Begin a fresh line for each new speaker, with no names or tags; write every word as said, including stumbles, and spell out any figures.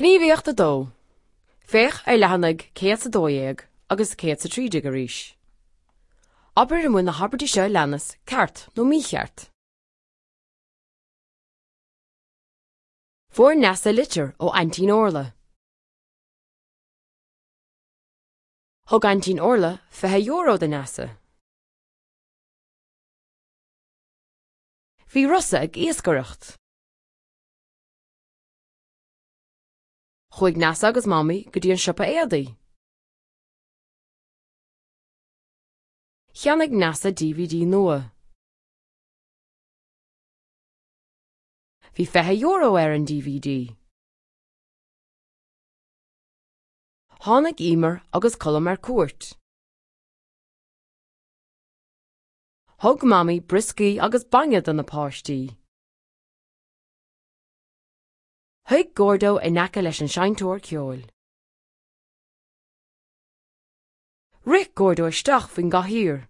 Gníomhaíocht a dó. Féach ar leathanaigh céad is a dó dhéag agus céad is a trí déag arís. Abair an bhfuil na habairtí seo a leanas ceart nó mícheart. Fuair Neasa litir ó Aintín Orla. Thug Aintín Orla fiche euro do Neasa. Bhí Rossa ag iascaireacht. Chuaigh Neasa agus Mamaí go dtí an siopa éadaí. Cheannaigh Neasa DVD nua. Bhí fiche euro ar an DVD. Tháinig Emer agus Colm ar cuairt. Thug Mamaí brioscaí agus bainne do na páistí. Shuigh Gordo in aice leis an seinnteoir ceoil. Rith Gordo isteach faoin gcathaoir.